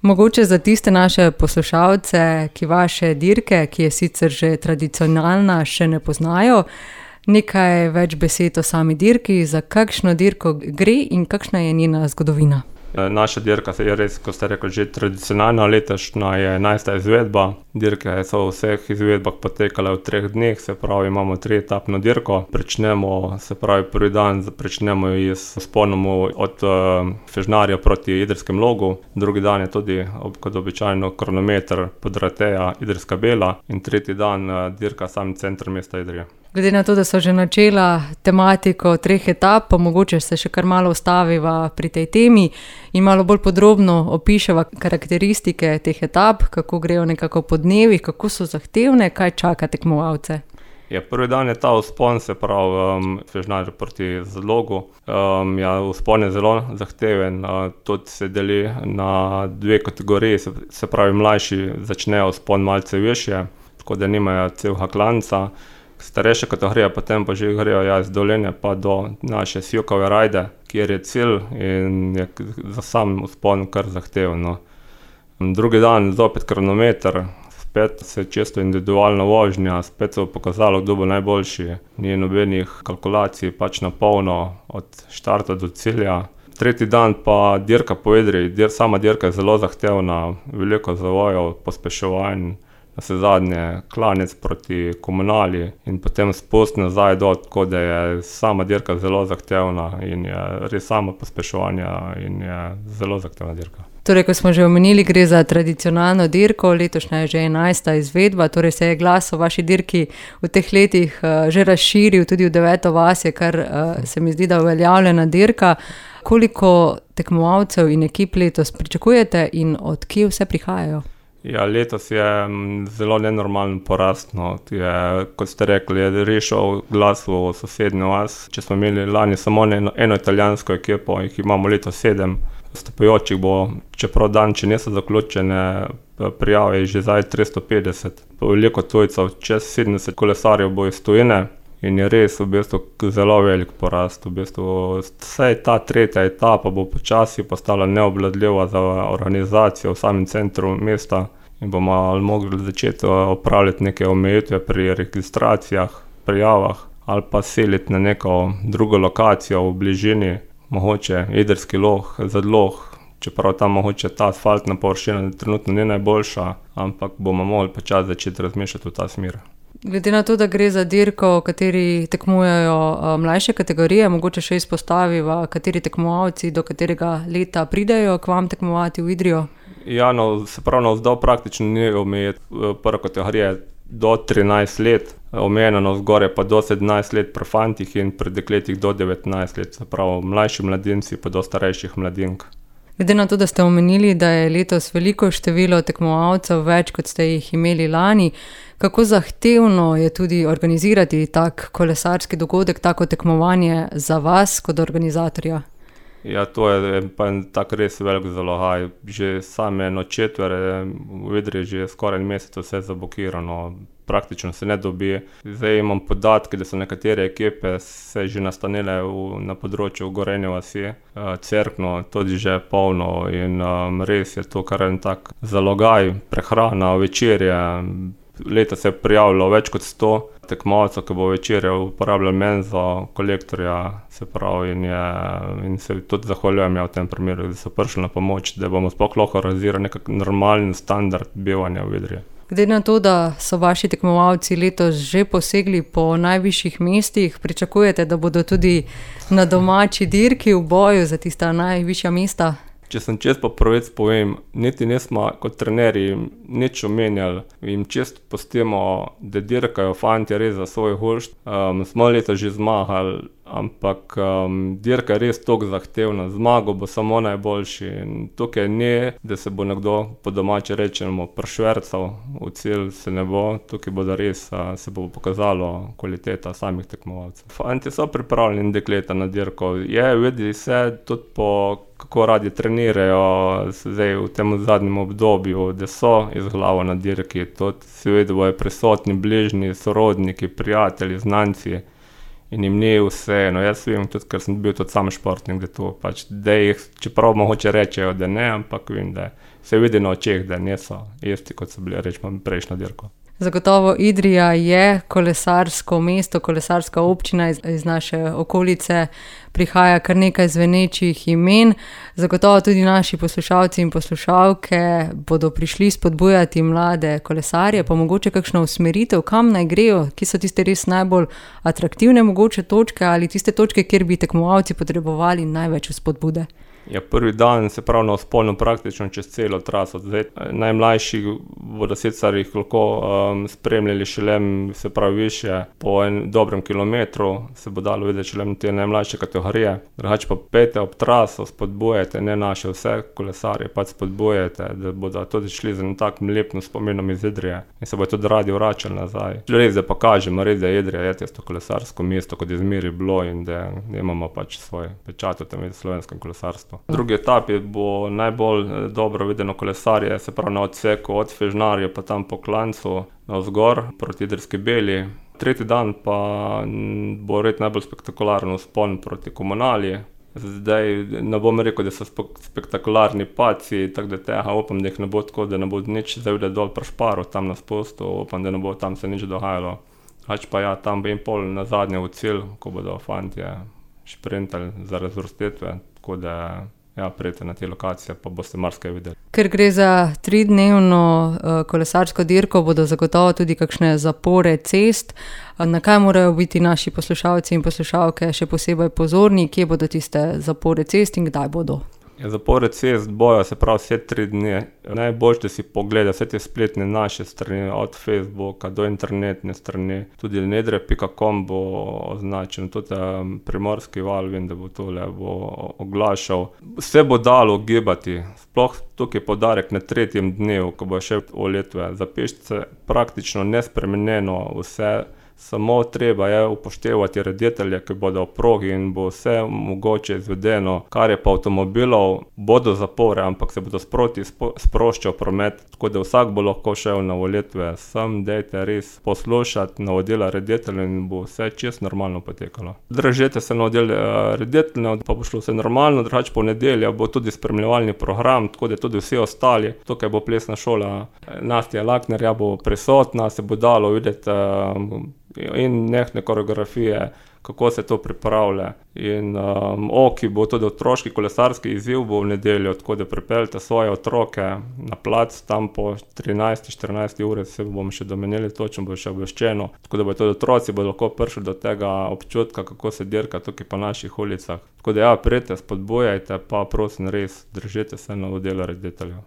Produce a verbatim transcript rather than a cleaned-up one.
Mogoče za tiste naše poslušalce, ki vaše dirke, ki je sicer že tradicionalna, še ne poznajo, nekaj več besed o sami dirki, za kakšno dirko gre in kakšna je njena zgodovina. Naša dirka je res, kot ste rekli, že tradicionalna, letošnja je enajsta izvedba. Dirke so v vseh izvedbah potekale v treh dneh, se pravi, imamo trietapno dirko. Pričnemo, se pravi, prvi dan pričnemo s vzponom od Fežnarja proti Idrijskemu Logu, drugi dan je tudi, kot običajno, kronometer Podrateja Idrijska Bela in tretji dan dirka sam center mesta Idrije. Glede na to, da so že načela tematiko treh etap, pa mogoče se še kar malo ustaviva pri tej temi in malo bolj podrobno opiševa karakteristike teh etap, kako grejo nekako po dnevih, kako so zahtevne, kaj čaka tekmovalce. Ja, prvi dan je ta vzpon, se pravi, um, Fežnar proti Zalogu. Um, ja, vzpon je zelo zahteven, uh, tudi se deli na dve kategoriji, se, se pravi, mlajši začnejo vzpon malce višje, tako da nimajo celega klanca. Starejša kategorija, potem pa že grejo ja, iz Dolenje pa do naše Sjokove Rajde, kjer je cilj in je za sam vzpon kar zahtevno. Drugi dan zopet kronometer, spet se čisto individualna vožnja, spet se bo pokazalo, kdo bo najboljši. Ni nobenih kalkulacij, pač na polno od štarta do cilja. Tretji dan pa dirka po Idriji, dir, sama dirka je zelo zahtevna, veliko zavojev, pospeševanj. Na se zadnje klanec proti Komunali in potem spust nazaj do, tako da je sama dirka zelo zahtevna in je res samo pospeševanje in je zelo zahtevna dirka. Torej, ko smo že omenili, gre za tradicionalno dirko, letošnja je že enajsta izvedba, torej se je glas o vaši dirki v teh letih uh, že razširil, tudi v Deveto vas je, kar uh, se mi zdi, da uveljavljena dirka. Koliko tekmovalcev in ekip letos pričakujete in od kje vse prihajajo? Ja, letos je zelo nenormalen porast, no. Je, kot ste rekli, je rešil glas v sosednjo vas. Če smo imeli lani samo eno, eno italijansko ekipo, jih imamo letos sedem. Stopajočih bo, čeprav dan, če niso zaključene prijave, je že zdaj tristo petdeset. Veliko tujcev, čez sedemdeset kolesarjev bo iz tujine in je res v bistvu zelo velik porast. V bistvu vsaj ta tretja etapa bo počasi postala neobvladljiva za organizacijo v samem centru mesta in bomo mogli začeti opravljati neke omejitve pri registracijah, prijavah ali pa seliti na neko drugo lokacijo v bližini, mogoče Idrijski Log, Zadlog, čeprav tam mogoče ta asfaltna površina trenutno ni najboljša, ampak bomo mogli počasi začeti razmišljati v ta smer. Glede na to, da gre za dirko, v kateri tekmujejo mlajše kategorije, mogoče še izpostaviva, kateri tekmovalci do katerega leta pridejo k vam tekmovati v Idrijo? Ja, no, se pravi, navzdol praktično ni omejiti. Prva kategorija je do trinajst let, omejena navzgor je pa do sedemnajst let pri fantih in pri dekletih do devetnajst let, se pravi, mlajši mladinci pa do starejših mladink. Glede na to, da ste omenili, da je letos veliko število tekmovalcev več, kot ste jih imeli lani, kako zahtevno je tudi organizirati tak kolesarski dogodek, tako tekmovanje za vas kot organizatorja? Ja, to je pa tak res velik zalogaj. Že same nočetvere v Idriji že skoraj en mesec vse zablokirano, praktično se ne dobi. Zdaj imam podatke, da so nekatere ekipe se že nastanile v, na področju Gorenje vasi, Cerkno, tudi že polno in um, res je to kar en tak zalogaj, prehrana, večerje. Leta se je prijavilo več kot sto tekmovalcev, ki bo večerje uporabljali menzo, kolektorja, se pravi, in, je, in se tudi zahvaljujem ja v tem primeru, da so prišli na pomoč, da bomo sploh lahko organizirali nekak normalen standard bivanja v Idriji. Glede na to, da so vaši tekmovalci letos že posegli po najvišjih mestih, pričakujete, da bodo tudi na domači dirki v boju za tista najvišja mesta? Če sem čest po pravec povem, niti nismo kot trenerji nič omenjali, jim čest pustimo, da dirkajo fantje res za svoj hušt. Um, smo leta že zmagali, ampak um, dirka je res toliko zahtevna, zmago bo samo najboljši. In tukaj ni, da se bo nekdo po domače rečemo prešvercal, v cilj se ne bo, tukaj bo da res a, se bo pokazalo kvaliteta samih tekmovalcev. Fantje so pripravljeni dekleta na dirko, je, vidi se tudi po kako radi trenirajo zdaj v tem zadnjem obdobju, da so iz glavo na dirki, tudi seveda bojo prisotni bližnji, sorodniki, prijatelji, znanci in jim ni vseeno. Jaz vem tudi, ker sem bil tudi sam športnik, da to pač, da jih, čeprav mogoče rečejo, da ne, ampak vem, da se vidi na očeh, da niso isti, kot so bili, rečemo, prejšnjo dirko. Zagotovo Idrija je kolesarsko mesto, kolesarska občina, iz, iz naše okolice prihaja kar nekaj zvenečih imen. Zagotovo tudi naši poslušalci in poslušalke bodo prišli spodbujati mlade kolesarje, pa mogoče kakšno usmeritev, kam naj grejo, ki so tiste res najbolj atraktivne mogoče točke ali tiste točke, kjer bi tekmovalci potrebovali največ spodbude. Ja, prvi dan se pravi na vzponu praktično čez celo traso. Zdaj, najmlajši bodo sicer jih lahko um, spremljali šele, se pravi, više po en dobrem kilometru, se bo dalo videti šele te najmlajše kategorije. Drugače pa pejte ob traso, spodbujajte, ne naše vse kolesarje, pač spodbujajte, da bodo tudi šli z takim lepim spominom iz Idrije in se bo tudi radi vračali nazaj. Res, da pokažemo, res, da je Idrija je tisto kolesarsko mesto, kot je zmeri bilo in da imamo pač svoj pečat v tem slovenskem kolesarstvu. V drugi etapi bo najbolj dobro videno kolesarje, se pravi na odseku od Fežnarja pa tam po Klancu navzgor proti Idrijski Beli. Tretji dan pa bo red najbolj spektakularno vzpon proti Komunali. Zdaj ne bom rekel, da so spektakularni paci, tako da tega upam, da jih ne bo tako, da ne bo nič zavide dol pri Šparu, tam na spustu, upam, da ne bo tam se nič dogajalo. Hač pa ja, tam bi in pol na zadnje v cilj, ko bodo fantje šprintali za razvrstitve. Tako da ja, prijete na te lokacije, pa boste marsikaj videli. Ker gre za tridnevno uh, kolesarsko dirko, bodo zagotovo tudi kakšne zapore cest. Na kaj morajo biti naši poslušalci in poslušalke še posebej pozorni, kje bodo tiste zapore cest in kdaj bodo? Ja, zapore cest bojo, se pravi, vse tri dni. Najboljše, da si pogleda vse te spletne naše strani, od Facebooka do internetne strani. Tudi nedre pika com bo označen, tudi um, Primorski val, vem, da bo tole bo oglašal. Vse bo dalo gibati, sploh tukaj podarek na tretjem dnevu, ko bo še v Letve. Za pešce praktično nespremenjeno vse. Samo treba je upoštevati reditelje, ki bodo v progi in bo vse mogoče izvedeno. Kar je pa avtomobilov, bodo zapore, ampak se bodo sproti sproščal promet, tako da vsak bo lahko šel na volitve. Sam dejte res poslušati navodila rediteljev in bo vse čisto normalno potekalo. Držite se navodil rediteljev, pa bo šlo vse normalno, drugače po nedelja bo tudi spremljevalni program, tako da tudi vsi ostali. Tukaj bo plesna šola Nastja Laknerja bo prisotna, se bo dalo videti in nehne koreografije, kako se to pripravlja. In um, oki bo tudi otroški kolesarski izziv bo v nedeljo, tako da pripeljte svoje otroke na plac, tam po trinajsti štirinajsti uri se bomo še domenili, točno bo še obveščeno, tako da bo tudi otroci bodo lahko prišli do tega občutka, kako se dirka tukaj po naših ulicah. Tako da ja, prijete, spodbujajte, pa prosim res, držite se navodila rediteljev.